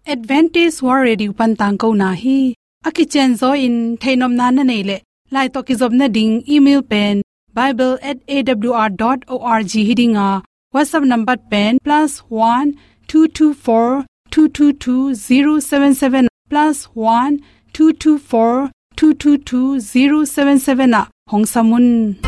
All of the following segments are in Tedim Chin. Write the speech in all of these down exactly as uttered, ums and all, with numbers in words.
Adventist World Radio pan tangkona hi. A kicianzaw in theihnopna na neih leh, lai tawh kizopna ding email pen bible at A W R dot O R G hi ding a, WhatsApp number pen plus one two two four two two two zero seven seven, plus one two two four two two two zero seven seven ah hong sam un.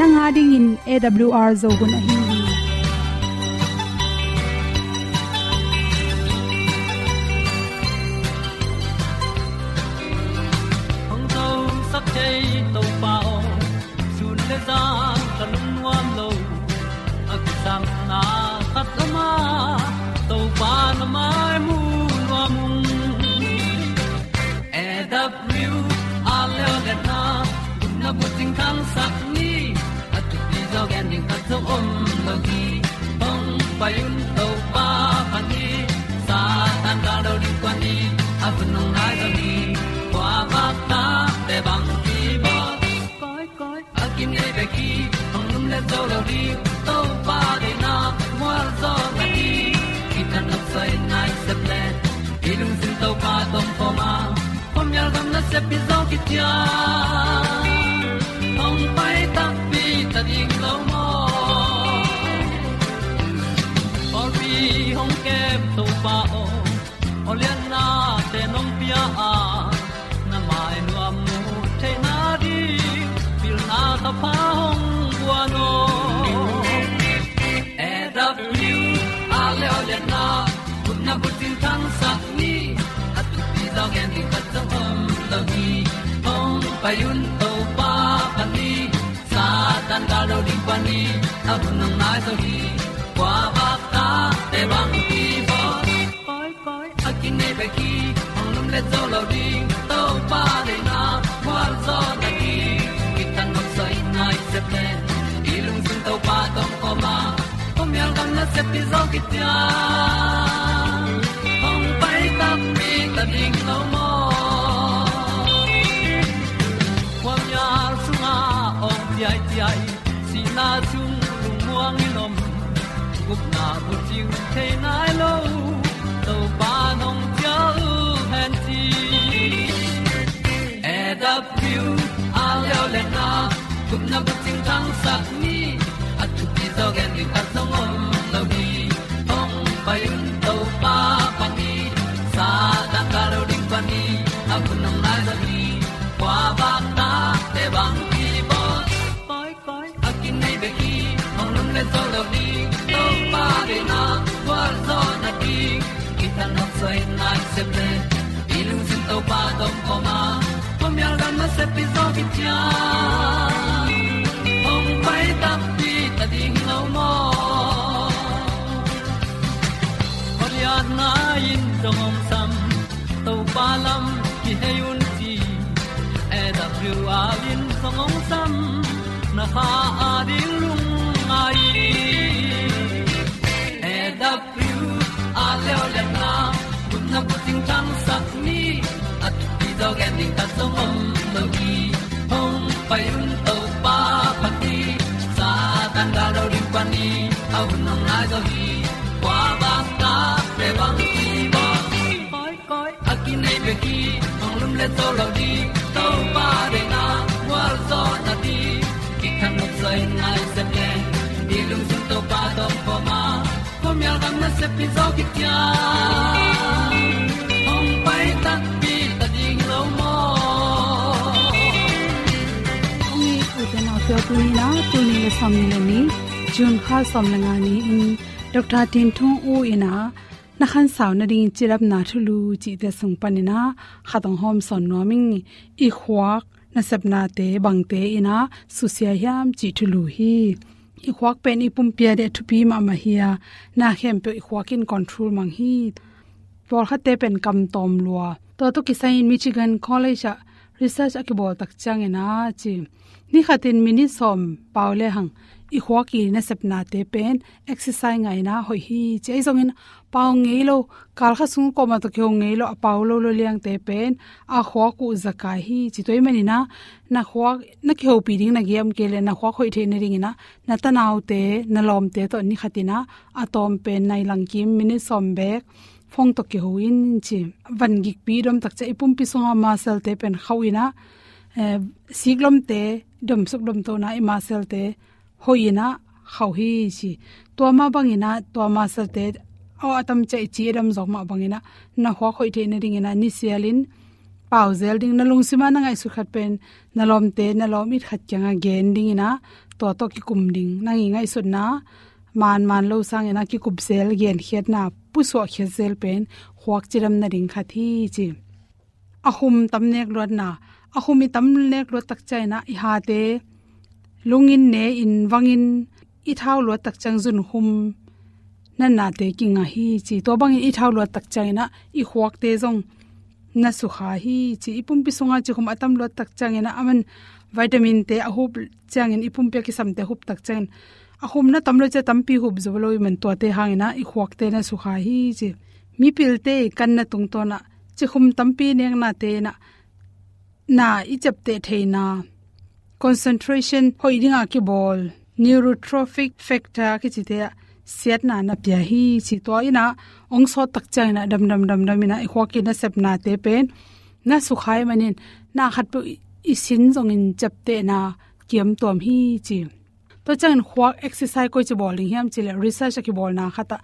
Nang a dingin A W R Zo hun ahi hi. Hong zosak thei Topa aw, sun le zan ka lungnuam lo. A kisangna khat om a, Topa na mai mu nuam ung. A W R leo le na, gupna bucing thangsak ni. A thupi zaw gen ding khat zong om lo hi. Hong pai un Topa pan hi. Satan ka lo ding kua ni. A hun hong nai zaw hi. Kua bak ta te bang ki bawl. Koi, koi. A kinei bek hi, hong lum le zo lo ding, Topa deihna mual zaw na hi. Kitang nok soi nai sep le, i lungsim Topa tawh kawm a, khuamial gam nasep hi zaw kician. Hong pai takpi ta ding lo maw? Pawlpi hong kem Topa aw, awlianna te nong pia a, na mai nuam mu theihna ding, pilna thapha hong guan aw. A W R le awlianna, gupna bucing thangsak ni. A thupi zaw gen ding khat zong om lo hi. Hong pai un Topa pan hi. Satan ka lo ding pan hi. A hun hong nai zaw hi. Kua bak ta te bang ki bawl. Koi, koi. A kinei bek hi, hong lum le zo lo ding, Topa deihna mual zaw na hi. Kitang nok soi nai sep le, i lungsim Topa tawh kawm a, khuamial gam nasep hi zaw kician. Hong pai takpi ta ding lo maw? Khuamial sungah awng ciaiciai, sihna sung lungmuang in om, gupna bucing thei nai lo, Topa nong cial hen ci. A W R le awlianna, gupna bucing thangsak ni. A thupi zaw gen ding khat zong om lo hi. Hong pai un Topa pan hi. Satan ka lo ding pan hi. A hun hong nai zaw hi. Kua bak ta te bang ki bawl. Koi, koi. A kinei bek hi, hong lum le zo lo ding, Topa deihna mual zaw na hi. Kitang nok soi nai sep le, i lungsim Topa tawh kawm a, khuamial gam nasep hi zaw kician. Hong pai takpi ta ding lo maw? Awlianna in zong hong sam, Topa lam kihei un ci. A W R in zong hong sam, na kha a ding lungngai. A W R le awlianna, gupna bucing thangsak ni. A thupi zaw gen ding khat zong om lo hi. Hong pai un Topa pan hi. Satan ka lo ding pan hi. A hun hong nai zaw hi. Kua bak ta te bang ki bawl. Koi, koi. A kinei bek hi, hong lum le zo lo ding, Topa deihna mual zaw na hi. Kitang nok soi nai sep le, i lungsim Topa tawh kawm a, khuamial gam nasep hi zaw kician. Hong pai takpi ta ding lo maw? Hong i u te nau te, tuni in ah, tuni le sawmnih le nih, June kha sawm le nga ni-in, Doctor Tin Thung U in ah, na khansau nading cidamna thulu cihte sung panin ah khat hong hawmsawn nuam ing. I khuak nasepnate bangte in ah susia hiam cih thulu hi. I khuak pen i pumpi a ding thupi mahmah hi a, na khempeuh i khuak in control mang hi. Pawlkhatte pen kam tawm lua. Tua tawh kisai in Michigan College ah research a kibawl tak ciangin a ci, ni khatin minute sawm pau lehang i khuak i nasepnate pen exercise ngah in a hoih hi ci. Ahi zongin pau ngei lo, kal khat sung kuamah tawh kiho ngei lo, a pau lo lo liangte pen a khuak uh zakai hi ci. Tua ahih manin a, na khuak na kihopih ding na giam kei leh na khuak hoih theih nadingin a, na tanaute, na lawmte tawh ni khatin a, a tawm pen nai lang kim minute sawm bek phone tawh kiho in ci. Van gikpi i dom tak ciang i pumpi sunga muscle-te pen khauh in a, eh, siklawmte, domsuk domtona i muscle-te hoih in a khauh hi ci. Tua mah bangin a, tua muscle-te, aw, a tam ciang i ci a dam zawk mah bangin a, na khuak hoih theih nadingin a, nisialin pau zel ding, na lungsim a na ngaihsut khat pen na lawmte, na lawm it khat kiangah gen dingin a, tua tawh kikum ding. Nang i ngaihsutna man man lo sangin a, kikup zel, genkhiatna pusuah khiat zel pen khuak cidam nading khat hi ci. A khum tam nek luatna, a khum i tam nek luat tak ciangin a, i hate lungin, ne in, vangin i thau luat tak ciang zunkhum natnate kingah hi ci. Tua bangin i thau luat tak ciangin a, i khuakte zong na sukha hi ci. I pumpi sunga cikhum a tam luat tak ciangin a, aman vitamin-te a hup ciangin, i pumpi a kisamte a hup tak ciangin, a khum na tam lo ciang tampi hup zo lo ahih man tuate hangin a, i khuakte na sukha hi ci. Mipilte i kanna tungtawn a cikhum tampi neknate in a, na i ciapteh theihna, concentration hoih dingah kibawl, neurotrophic factor kicite ah siatna na pia hi ci. Tua in a, hong sawt tak ciangin a, damdam damdam in a, i khuak i nasepnate pen na sukha ahih manin, na khatpeuh i sin zongin ciaptehna kiamtuam hi ci. Tua ciangin khuak exercise koici bawl ding hiam cih leh, research a kibawlna khat ah,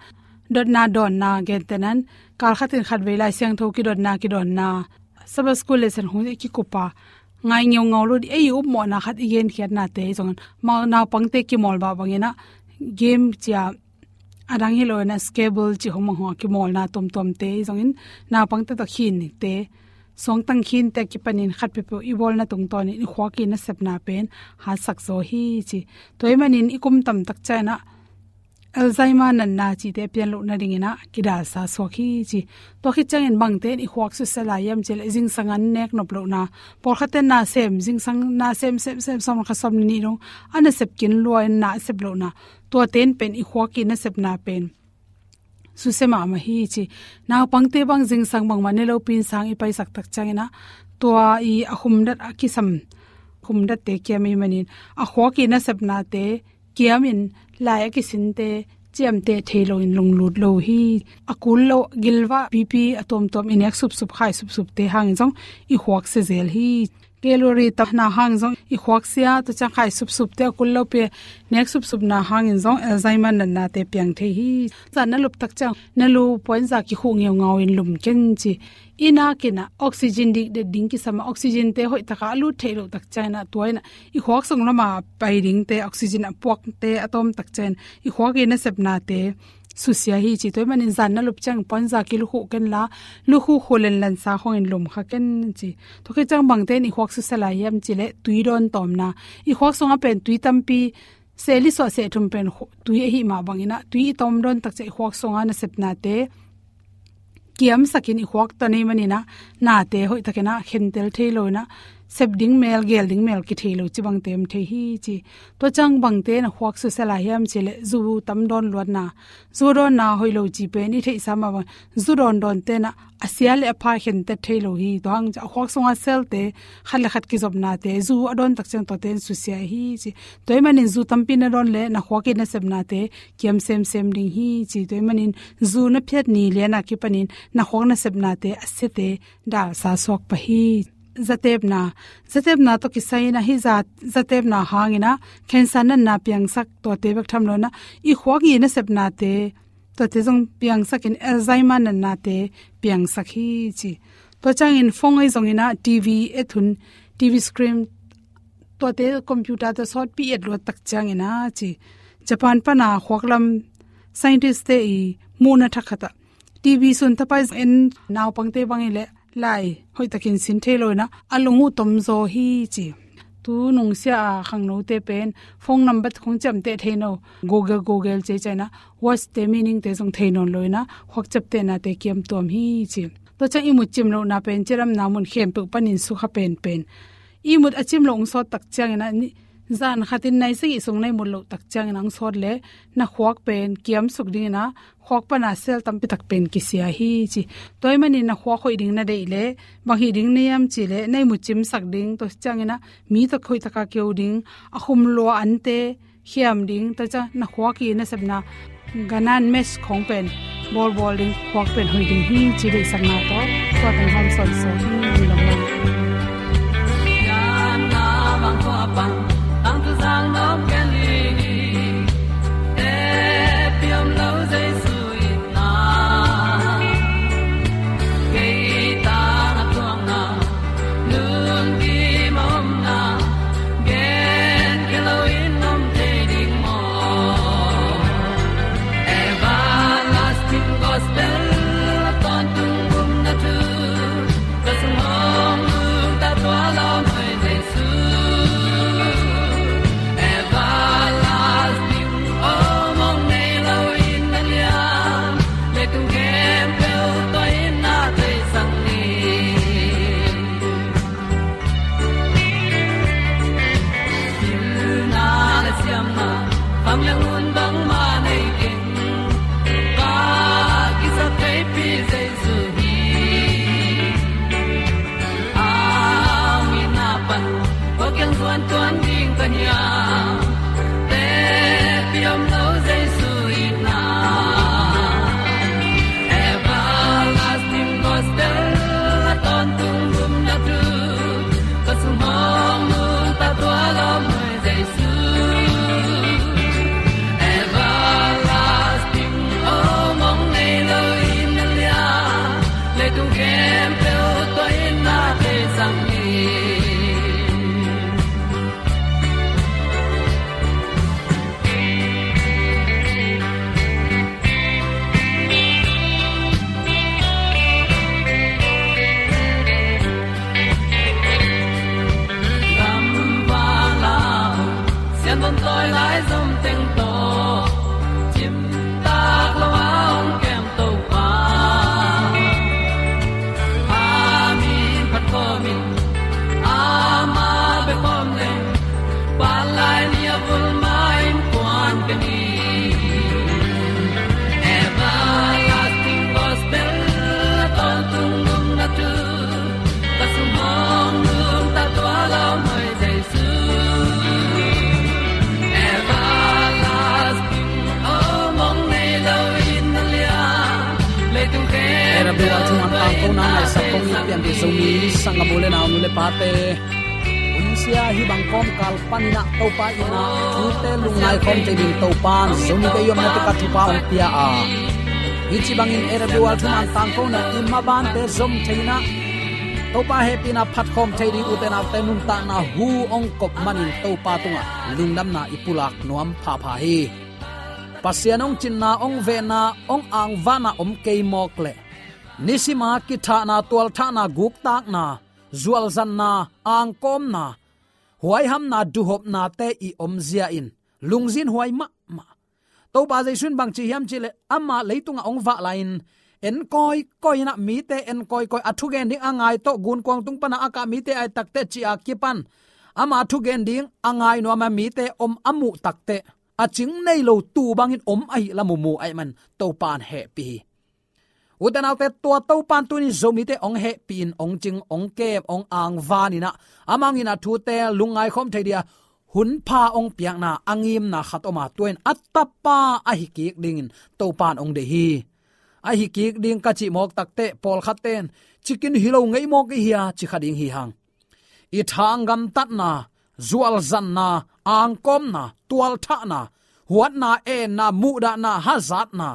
dotna dawnna, gentehna in kal khatin khatvei Lai Siangtho kidotna, kidawnna, Sabbath School lesson hong kikup a, ngai ngeungau lo ding, ei i upmawhna khat, i genkhiatnate zongin, ma, naupangte kimawl mah bangin a, game ci a, a dang hi lo in a, scrabble ci hong mang hong a kimawlna tuamtuamte zongin, naupangte tawh khinite, suangtang khinte a kipanin khat peuhpeuh i bawlna tungtawnin i khuak i nasepna pen hatsak zaw hi ci. Tua ahih manin i kum tam tak ciangin a, Alzheimer natna cihte a pian loh nadingin a, kidalsa suak hi ci. Tua khit ciangin bangte in i khuak susia lai hiam cih leh, zingsang an nek nop lohna, pawlkhatte in na sem, zingsang na sem, sem, sem, sawm le khat, sawm le nih dong a nasep kin lua in na a sep lohna, tuate in pen i khuak i nasepna pen susia mahmah hi ci. Naupangte bang zingsang bangmah ne lopi in sang i paisak tak ciangin a, tua i a khumdat a kisam, khumdatte kiam ahih manin, a khuak i nasepnate kiamin, lai a kisinte ciamteh thei loin lunglut lo hi. A kul lo, gilvah, pipi a tuamtuam i nek supsup, khai supsupte hangin zong i khuak sia zel hi. Calorie tamna hangin zong i khuak sia, tua ciang khai supsupte, a kul lopi nek supsupna hangin zong Alzheimer natnate piang thei hi. Zan na lup tak ciang na lu point za kikhuh ngeungau in lum ken ci. I nak in a oxygen dikdet ding kisam a, oxygen-te hoih takin a lut theih loh tak ciangin a, tua in a i khuak sung lama pai dingte, oxygen a puakte a tawm tak ciangin i khuak i nasepnate susia hi ci. Tua ahih manin zan na lup ciang point za kilukhuh ken la, lukhuh khuh lenlensa khawngin lum kha ken ci. Tua khit ciang bangte in i khuak susia lai hiam cih leh, tui dawn tawmna. I khuak sungah pen tui tampi, seh li suah seh thum pen khu-, tui ahih mah bangin a, tui i tawm dawn tak ciang i khuak sunga nasepnate kiamsakin i khuak tan ahih manin a, nate hoih takin a khentel thei lo in a, sep ding mel, gel ding mel kithei lo ci bangte om thei hi ci. Tua ciang bangte in a khuak susia lai hiam cih leh, zu tam dawn luatna, zu dawnna hoih lo ci pen i theihsa mah bang, zu dawndawnte in a, a sia le a pha khentel thei lo hi. Tua hang ciang a khuak sunga cell-te khat le khat kizopnate, zu a dawn tak ciang tuate in susia hi ci. Tua ahih manin zu tampi na dawn leh na khuak i nasepnate kiam semsem ding hi ci. Tua ahih manin zu na phiat ni lian a kipanin na khuak nasepnate a siate dalsa suak pah hi. Zatepna, zatepna tawh kisai in a, hih za, zatepna hangin a cancer natna piangsak, tuate bek tham lo in a, i khuak i nasepnate, tuate zong piangsakin Alzheimer natnate piangsak hi ci. Tua ciangin phone ahi zongin a, TV et hun, TV screen, tuate computer-te sawtpi et luat tak ciangin a ci. Japan pan a khuak lam scientist-te i muhna thak khat ah, TV sun thapai en naupangte bang hi leh, lai hoih takin sin thei lo in a, a lung uh tom zaw hi ci. Tu nungsia a khangnote pen phone number khong ciamteh thei no. Google, Google cei ciangin ah words te meaning te zong thei nawn lo in ah khuak ciaptehnate kiam tuam hi ci. Tua ciang ihmut cim lohna pen cidamna mun khempeuh panin sukha penpen. Ihmut a cim loh hong sawt tak ciangin ah ni, zan khatin nai sagih sung na ihmut loh tak ciangin ah hong sawt leh na khuak pen kiam suk dingin ah khuak pana cell tampi tak pen kisia hi ci. Tua ahih manin na khuak hoih ding na deih leh bang hih ding na hiam cih leh na ihmut cimsak ding, tua ciangin ah mi tawh hoih taka keu ding, a khum lua ante khiam ding, tua ciang na khuak i nasepna ganan mesh khong pen bawlbawl ding, khuak pen hoih ding hi ci deihsakna tawh tua teng hong sawt sawt hi. Lungdam. Era bia thuman tangkona ngaihsak kong it pian dih Zomi sanggam u le nau, nu le pate, hunsia hih bang kawmkal panin ah Topa in ah thute lungngai khawm thei ding Topa'n Zomite i omna teka thupha hong pia a, hih ci bangin era bia thuman tangkona i mabante zom thei in ah Topa hehpihna phat khawm thei ding, ute naute nuntakna hu hong kop manin Topa tungah lungdamna i pulak nuam phapha hi. Pasian hong cinna, hong vehna, hong angvahna om kei mawk leh nisima kithahna, tualthahna, guktakna, zualzanna, angkawmna, huaihamna, duhopnate i omzia in lungzinhuai mahmah. Topa Jesu in bangci hiam cih leh amah leitungah hong vah lai-in en kawikawi in ah, mite en kawikawi, a thugen ding a ngai tawh gunkuang tung pana a kah mite a et takteh ci-a kipan ama thugen ding a ngai nuam a mite om a muh takteh a cing nei lo tuu bangin om ahih lam uh mu ahih man Topa'n hehpih hi. Ute naute, tua Topa'n tuni Zomite hong hehpih in, hong cing, hong kem, hong angvan in ah, amah hangin a thute lungngai khawm thei dia hun pha hong piakna a ngimna khat om a, tua in a tapa ahi kik dingin Topa'n hong deih hi. Ahi kik ding ka cih mawk takteh pawlkhatte'n cikin hi lo ngei mawk i hia ci kha ding hi hang. I thang gamtatna, zualzanna, angkawmna, tualthahna, huatna, enna, muhdahna, hazatna,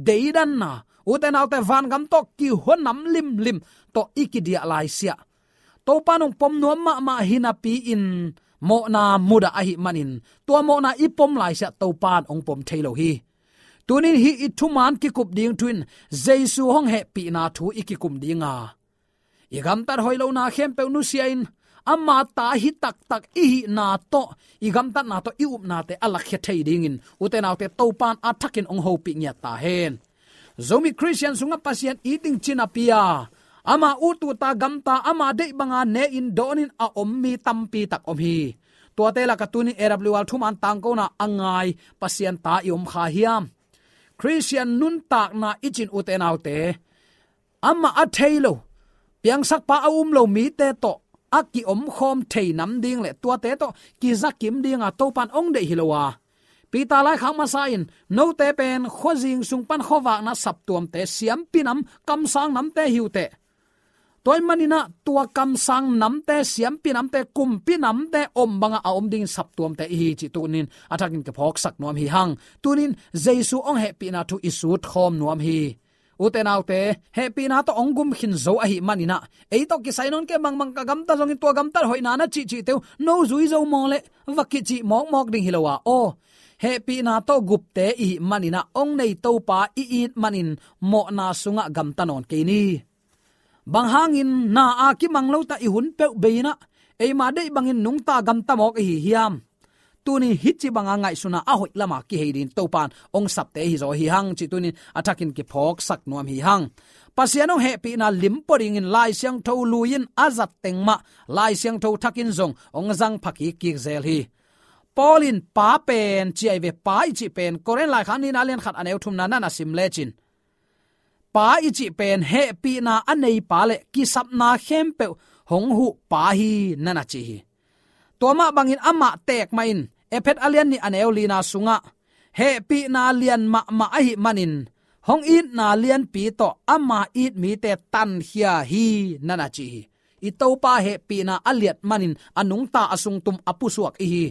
deidanna, ute naute, vangam tawh kihua nam limlim tawh i kidiah laisiah Topa'n hong pom nuam mahmah hi napi-in mawhna mudah ahih manin tua mawhna i pom laisiah Topa'n hong pom thei lo hi. Tunin hih i thuman kikup ding thu in Jesu hong hehpihna thu i kikum ding a, i gamtat hoih lohna khempeuh nusia in, ama ta hi taktak i hihna tawh, i gamtatna tawh, i upnate a lakkhia thei dingin, ute naute, Topan a thakin hong hopih ngiat ta hen. Zomi Khristian sungah Pasian it ding ci napi-a, ama ut uh ta, gamta, ama deih banga ne-in dawnin a om mi tampi tak om hi. Tuate lakah tunin A W R thuman tangkona a ngai Pasian ta i om kha hiam? Khristian nuntakna i cih, ute naute, amah a thei lo, piangsakpa a um lo mite tawh a kiomkhawm thei nam ding le tuate tawh kizakim dinga Topan hong deih hi lo a, Peter laikhak masa in, note pen khuazing sung pan khuavakna saptuamte, siampi nam, kamsang namte hi uh teh. Tua ahih manin ah tua kamsang namte, siampi namte, kumpi namte om banga a om dingin saptuamte i hi cih tunin a thakin kiphawksak nuam hi hang. Tunin Jesu hong hehpihna thu i sutkhawm nuam hi. Ute naute, hehpihna tawh hong gum khin zo ahih manin ah, ei tawh kisai nawn kei, bangmah ka gamta zongin tua gamtat hoihna na cihcihte uh no zui zo maw leh, va kicih mawkmawk ding hi lo a, aw, hehpihna tawh gupte i hih manin ah, hong nei Topa i it manin mawhna sungah gamta nawn kei ni. Bang hangin na a kimang lo ta i hun peuh bei-in ah, eima deih bangin nungta gamta mawk i hi hiam? Tunin hih ci banga ngaihsutna a hoih lama kihei dingin Topan hong sapte hi zaw hi hang cih tunin a thakin kiphawksak nuam hi hang. Pasian hong hehpihna lim pua dingin Lai Siangtho lui-in a zat teng mah Lai Siangtho thakin zong hong zang pha kikkik zel hi. Paul in Pa pen ci ahi ve, Pa i cih pen Korin laikhak nihna a lian khat a neu thumna na na sim lecin, Pa i cih pen hehpihna a nei Pa le kisapna khempeuh hong huh Pa hi, na na ci hi. Tua mah bangin amah teek mah in Efesa a lian nih a neu lina sungah hehpihna lian mahmah ahih manin hong itna lianpi tawh ama it mite tankhia hi, na na ci hi. I Topa hehpihna a liat manin a nungta, a sungtum, a pusuak i hi.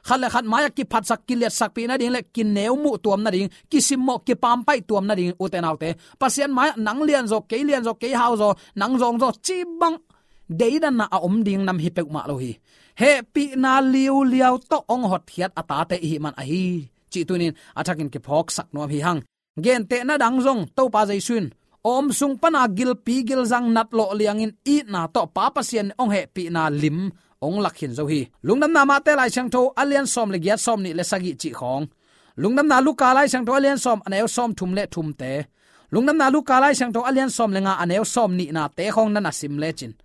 Khat le khat mai-ah kiphatsak, kiliatsakpih nading le kineumuh tuam nading, kisimmawh, kipampaih tuam nading, ute naute, Pasian mai-ah nang lianzaw, kei lianzaw, kei hauzaw, nang zawngzaw cih bang deidanna a om ding nam hi peuhmah lo hi. Hehpihna liuliau tawh hong hotkhiat a tate i hih man ahi cih tunin a thakin kiphawksak nuam hi hang. Gentehna dang zong Topa Jesu in, a om sung pana gilpi gilzang natlawh liangin itna tawh Pa Pasian in hong hehpihna lim hong lak khin zo hi. Lungdamna Mate Lai Siangtho a lian sawm le giat, sawm nih le sagih cih khawng, Lungdamna Luka Lai Siangtho a lian sawm a neu sawm thum le thumte, Lungdamna Luka Lai Siangtho a lian sawm le nga a neu sawm nihnate khawng na na sim lecin,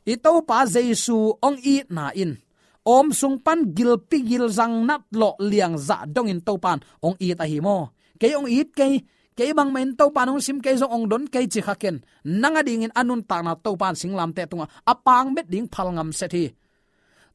i Topa Jesu hong itna in a om sung pan gilpi gilzang natlawh liang zah dongin Topan hong it ahi maw? Kei hong it kei, kei bangmah in Topan hong sim kei, zong hong don kei ci kha ken, nang a dingin a nuntakna Topan singlamteh tungah a pang bet ding phalngam set hi.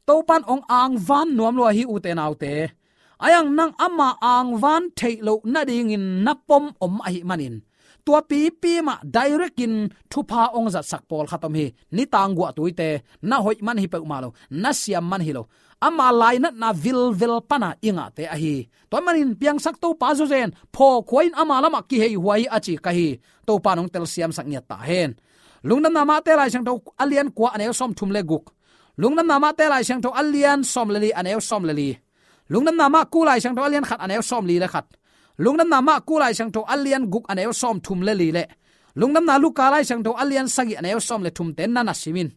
Topan hong angvan nuam lua hi, ute naute. Ahi hang nang ama angvan theih loh nadingin na pom om ahih manin, tua pipi mah direct in thupha hong zatsak pawlkhat om hi. Nitang guahtuite, na hoih man hi peuhmah lo, na siam man hi lo, ama lainatna vilvel pana i ngahte ahi. Tua ahih manin piangsak Topa zawzen, phawkhua in ama lamah kiheihuai hi a ci ka hi. Topan hong telsiamsak ngiat ta hen. Lungdamna Mate Lai Siangtho a lian kua a neu sawm thum le guk, Lungdamna Mate Lai Siangtho a lian sawm le li a neu sawm le li, Lungdamna Marku Lai Siangtho a lian khat a neu sawm li le khat, Lungdamna Marku Lai Siangtho a lian guk a neu sawm thum le li le Lungdamna Luka Lai Siangtho a lian sagih a neu sawm le thumte na na sim in.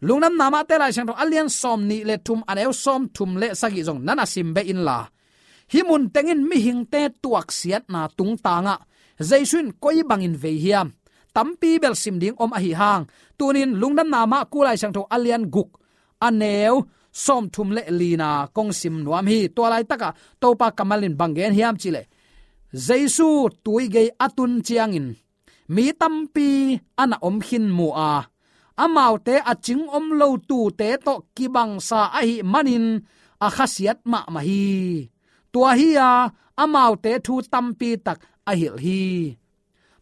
Lungdamna Mate Lai Siangtho a lian sawm nih le thum a neu sawm thum le sagih zong na na sim beh inla, hih mun tengin mihingte tuaksiatna tungtangah Jesu in koi bangin vei hiam? Tampi bel sim ding om ahi hang, tunin Lungdamna Marku Lai Siangtho a lian guk a neu sawm thum le lina kong sim nuam hi. Tua laitakah Topa kammal in bang gen hiam cih leh, Jesu tuigei a tun ciangin mi tampi a na om khin mu a, amaute a cing om lo tuute tawh kibangsa ahih manin a khasiat mahmah hi. Tua hi-a amaute thu tampi tak a hilh hi.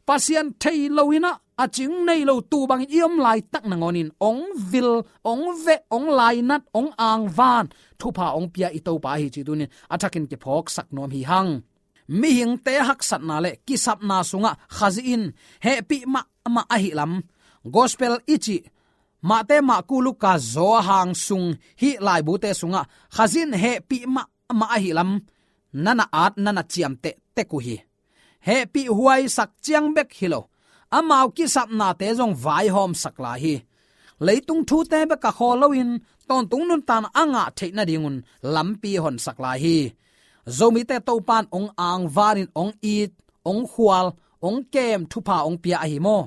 Pasian thei loin ah, a cing nei lo tuu bangin i om laitak nangawnin hong vil, hong veh, hong lainat, hong angvan, thupha hong pia i Topa hi cih tunin a thakin kiphawksak nuam hi hang. Mihingte haksatna le kisapna sungah Khazih in hehpih mahmah ahih lam, Gospel i cih Mate, Marku, Luka, Johan sung hih laibute sungah Khazih in hehpih mahmah ahih lam na na at, na na ciamteh tek uh hi. Hehpih huaisak ciang bek hi lo, amau kisapnate zong vaihawmsak lai hi. Leitung thute bek a khawl loin tawntung nuntakna a ngah theih nadingun lampi honsak lai hi. Zomite Topa'n hong angvanin hong it, hong khual, hong kem, thupha hong pia ahi maw?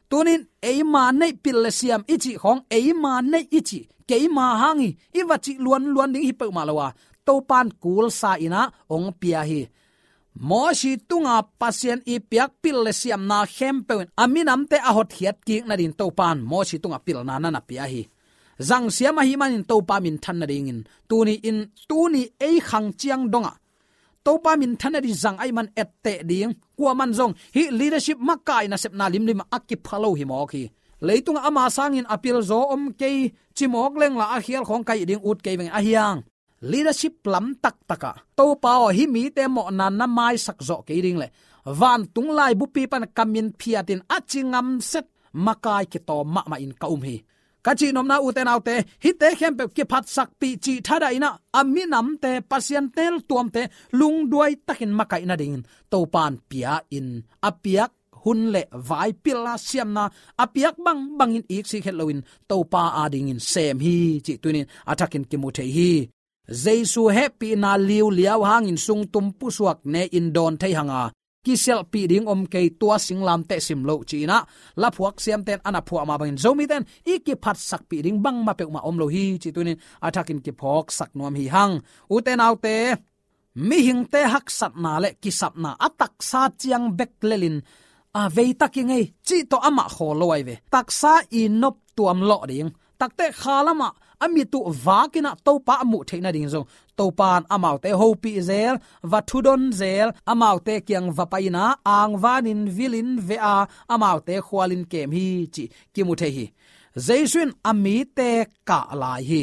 Tunin eima neih pil le siam i cih khawng, eima neih i cih, keima hang hi, i va cih luanluan ding hi peuhmah lo a, Topa'n kulsa in ah hong pia hi. Mosi tunga Pasian i piak pil le siamna khempeuh in a minamte a hotkhiat kik nadin Topa'n Mosi tunga pilna na na pia hi. Zangsiam ahih manin Topa minthan nadingin tuni in, tuni ei khang ciang dongah Topa minthan nading zang ahih man etteh ding, kuaman zong hih leadership makai nasepna limlim a kipha lo hi mawk hi. Leitungah ama sangin a pilzaw om kei, cimawk lengla a khial khawng ka hih ding ut kei veng ahi hang. Leadership lam taktakah Topa aw, hih mite mawhna na maisak zawh kei ding le vantung laibupi pan ka min phiatin a ci ngamset makai kitawm mahmah in ka um hi. Ka cihnopna, ute naute, hihte khempeuh kiphatsakpih cih thadahin ah a minamte, Pasian teltuamte lungduai takin makaih nadingin Topa'n pia in, a piak hun le vai pilna siamna a piak bangbangin iksik het loin Topa adingin sem hi cih tunin a thakin kimu thei hi. Jesu hehpihna liuliau hangin sungtum pusuak ne-in dawn thei hang a, kisialhpih ding om kei, tua singlamteh sim loh ci-in ah laphuak siamte'n a na phuah mah bangin Zomite'n i kiphatsakpih ding bangmah peuhmah om lo hi cih tunin a thakin kiphawksak nuam hi hang. Ute naute, mihingte haksatna le kisapna a taksa ciang bek lelin a vei tak i ngei cih tawh amah khawl lo ahi ve. Taksa i noptuam lawh ding, takteh kha lamah a mit uh vakin ah Topa a muh theih nading zong Topa'n amaute hopih zel, va thudon zel, amaute kiang va pai-in ah angvanin vilin veh a, amaute khualin kem hi cih kimu thei hi. Jesu in a mite kah lai hi.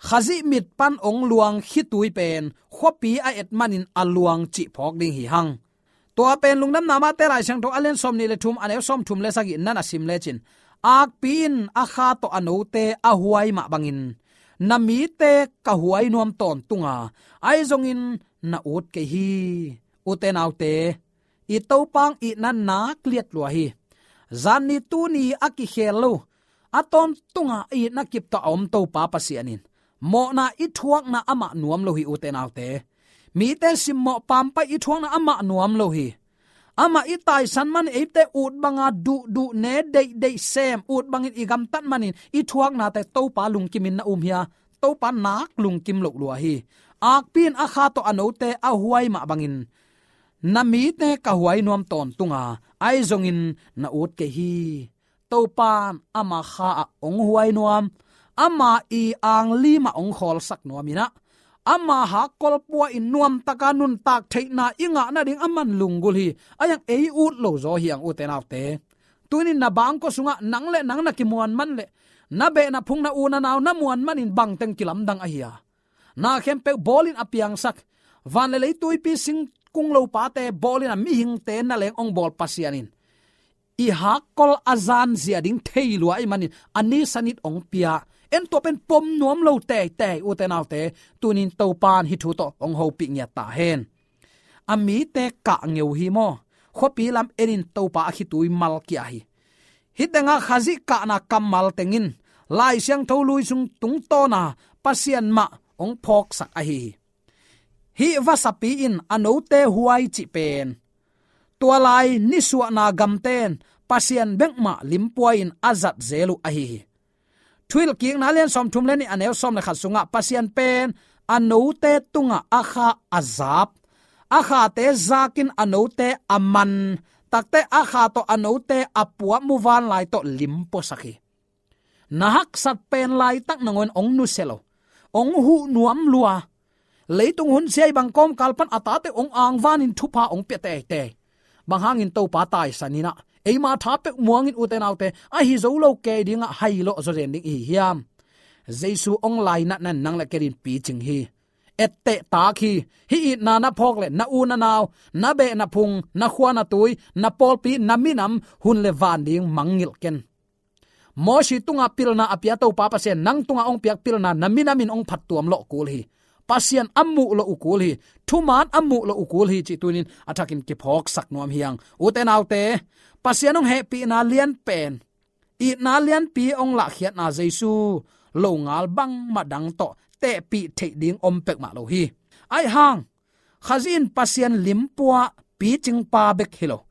Khazih mit pan hong luang khitui pen khuapi a et manin a luang cih phawk ding hi hang. Tua pen Lungdamna Mate Lai Siangtho a lian sawmnih le thum, a neu sawmthum le sagih na na sim lecin, akpi in a kha tawh a note a huai mah bangin na mite ka huai nuam tawntung a, ahi zongin na ut kei hi. Ute naute, i Topa hong itna nak liat lua hi. Zan ni tuni a kikhel lo, a tawntunga a itna kip tawh a om Topa Pasian in mawhna i thuakna amah nuam lo hi, ute naute. Mite simmawh pampai i thuakna amah nuam lo hi. Amah i taisan man eite ut banga duhduh ne deihdeih sem, ut bangin i gamtat manin i thuaknate Topa lungkimin na um hia? Topa nak lungkim loh lua hi. Akpi in a kha tawh a note a huai mah bangin na mite ka huai nuam tawntung a, ahi zongin na ut kei hi. Topa'n ama kha ah hong huai nuam, ama i anglim ah hong khawlsak nuam in ah, ama hakkol pua in nuamtaka nuntak theihna i ngah nading aman lunggulh hi. Ahi hang ei ut lo zaw hi hang, ute naute. Tunin na bangkua sungah nang le nang na kimuan man le na beh na phung, na u na nau na muan manin bangteng kilamdang ahi a, na khempeuh bawlin a piangsak, van le lei, tuipi, singkung, lopate bawlin a mihingte na leng hong bawl Pasian in i hakkol a zan zia ding thei lua ahih manin a ni sanit hong pia. En, tua pen pom nuam lo teitei, ute naute. Tunin Topa'n hih thu tawh hong hopih ngiat ta hen. A mite kah ngeu hi maw? Khuapi lam enin Topa a khitui mal kia hi. Hih tengah Khazih kahna kammal teng in Lai Siangtho lui sung tungtawna Pasian mah hong phawksak ahi hi. Hih vasapi in a note huai cih pen tua lai nisuahna gamte'n Pasian bek mah limpuai-in a zat zel uh ahi hi. Thuhilhkikna lian sawmthum le nih, a neu sawm le khat sungah Pasian pen a note tungah a kha a zap, a khate zakin a note a man, takteh a kha tawh a note a puah muvanlai tawh limpuasak hi. Na haksat pen laitak nangawn hong nusia lo, hong huh nuam lua. Leitung hun siai bang kawmkal pan a tate hong angvanin thupha hong pia teitei. Bang hangin? Topa taisan in ah, eima tha peuh muangin, ute naute, ahi zo lo kei dingah hailawh zaw zen ding i hi hiam? Jesu hong lainatna in nang le kei adingin picing hi. Etteh tak hi. Hih itna na phawk leh na u na nau, na beh na phung, na khua na tui, na pawlpi, na minam, hun le van ding mangngilh ken. Mosi tunga pilna a pia Topa Pasian nang tunga hong piak pilna na minamin hong phattuam lawh kul hi. Pasian a muh lawh uh kul hi. Thuman a muh lawh uh kul hi cih tunin a thakin kiphawksak nuam hi hang. Ute naute, Pasian hong hehpihna lian pen itna lianpi hong lahkhiatna Jesu longal bangmah dang tawh tehpih theih ding om peuhmah lo hi. Aihang Khazih in Pasian limpua picingpa bek hi lo,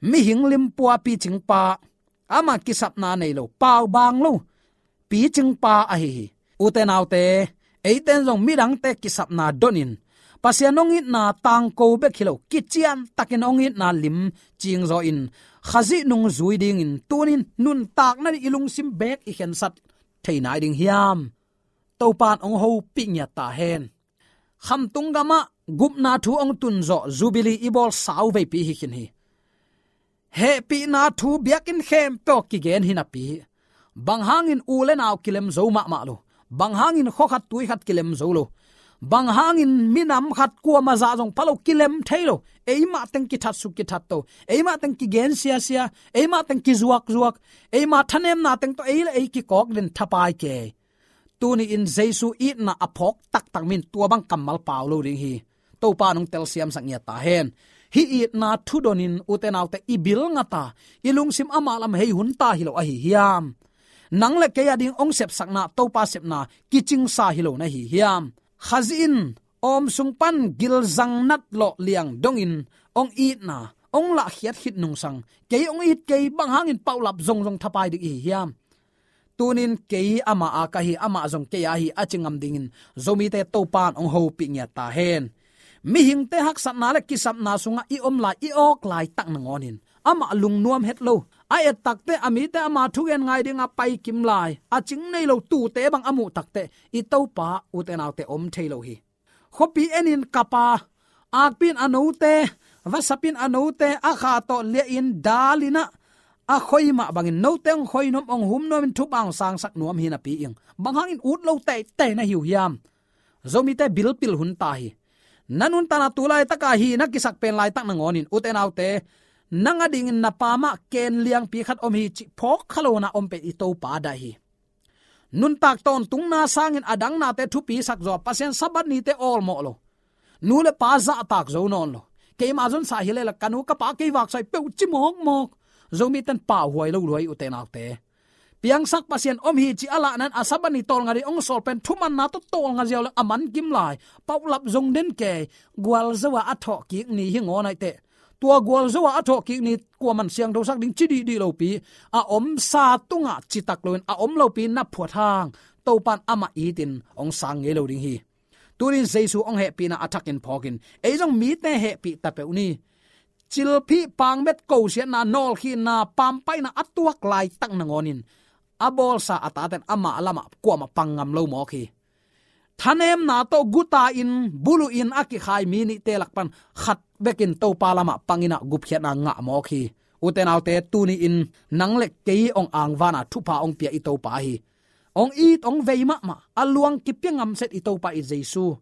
mihing limpua picingpa, ama kisapna nei lo, paubaang lo picingpa ahi hi. Ute naute, eiten zong midangte kisapna donin Pasian hong itna tangko bek hi lo, kiciantakin hong itna lim cingzaw in Khazih nungzui dingin tunin nuntakna ding i lungsim beek i khensat thei nai ding hiam? Topa in hong hopih ngiat ta hen. Khamtung gamah gupna thu hong tunzawh Jubilee i bawl sau veipi hi khin hi. Hehpihna thu biakinn khempeuh kigen hi napi, bang hangin u le nau kilem zo mahmah lo, bang hangin khua khat tui khat kilem zo lo, bang hangin minam khat kuamah zah zong pha lo, kilem thei lo, eimah teng kithat suk kithat to, eimah teng kigen siasia, eimah teng kizuakzuak, eimah thanemna teng to ei le ei kikawk den thapai kei. Tuni in Jesu itna a phawk taktak min tua bang kammal pau lo ding hi. Topa in hong telsiamsak ngiat ta hen. Hih itna thu donin ute naute i bil ngata, i lungsim amah lam hei hun ta hi lo ahi hiam? Nang le kei a ding hong sepsakna Topa sepna kicingsa hi lo na hi hiam? Khazih in awm sung pan gilzang nat lawh liang dongin hong itna hong lahkhiat khit nungsang, kei hong it kei, bang hangin paulap zongzong thapai ding i hi hiam? Tunin kei amah a ka hi, amah zong kei a hi a ci ngam dingin Zomite Topa in hong hopih ngiat ta hen. Mihingte haksatna le kisapna sungah i om lai, i awk laitak nangawnin amah lungnuam het lo, a et takteh a mite ama thugen ngai dingah pai kim lai, a cing nei lo tute bang a muh takteh i Topa ute naute om thei lo hi. Khuapi enin kapa, akpi in a note, vasap in a note a kha tawh liahin dal in ah, a khoi mah bangin note hong khoi nuam, hong hum nuamin thupha hong sangsak nuam hi napi in bang hangin ut lo teitei na hi uh hiam? Zomite bilpil hun ta hi. Na nuntakna tu laitaka hi na kisak pen laitak nangawnin ute naute, nang a dingin na pa mah ken liangpi khat om hi cih phawk kha lo na om pen i Topa daih hi. Nuntak tawntungna sangin a dang nate thupi sak zaw, Pasian Sabbath nite awlmawh lo, nu le pa zahtak zo nawn lo, keima zonsa hi leh la ka nu ka pa kei vaksa hi peuh ci mawkmawk, Zomite'n pauhuai lo luai ute naute. Piangsak Pasian om hi ci a lahna in a Sabbath ni tawlnga ding hong sawl pen thumanna tawh tawlnga ziau leng a man kim lai, paulap zong den kei, gualzo a a thawhkik ni hi ngawn aih teh. Tua gualzo a a thawhkik ni kuaman siangthosak ding ci dihdih lopi, a omsa tungah citak loin a om lopi na phuat hang, Topa in amah itin hong sang ngei lo ding hi. Tunin Jesu hong hehpihna a thakin phawkin ei zong mite hehpih ta peuh ni. Cilphih, pangmet, kosiatna, nawlkhinna, pampaihna a tuak laitak nangawnin a bawlsa a tate'n amah lamah kuamah pang ngam lo mawk hi. Thanemna tawh guta in buluh in a kikhai mi nihte lak pan khat bekin Topa lamah pang in ah gupkhiatna ngah mawk hi. Ute naute, tuni in nang le kei hong angvana thupha hong pia i Topa hi. Hong it hong vei mahmah, a luang kipia ngamset i Topa i Jesu.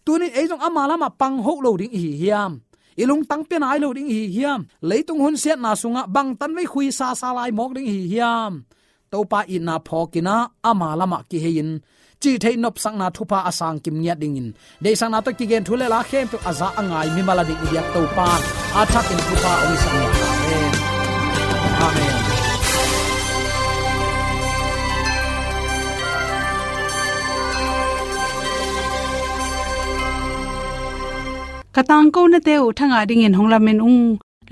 Tunin ei zong ama lamah pang hoh lo ding i hi hiam? I lungtang pia nai lo ding i hi hiam? Leitung hunsiatna sungah bangtan vei khuisasa lai mawk ding i hi hiam? Topa itna phawkin ah ama lamah kihei in cihtheih nopsakna thupha a sangkim ngiat dingin, deihsakna tawh kigen thu le la khempeuh a za a ngai mimal a ding i biak Topa a thakin thupha hong hisak ngiat ta hen. Amen. Ka tangkonate uh thangah dingin hong lamen ung.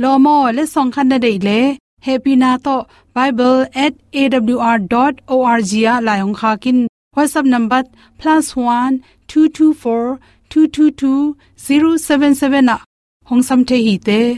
Lawm aw, letsong khat na deih leh hehpihna tawh bible at A W R dot O R G ah lai hong khak in. WhatsApp number plus one two two four two two two zero seven seven ah hong sam thei hi te.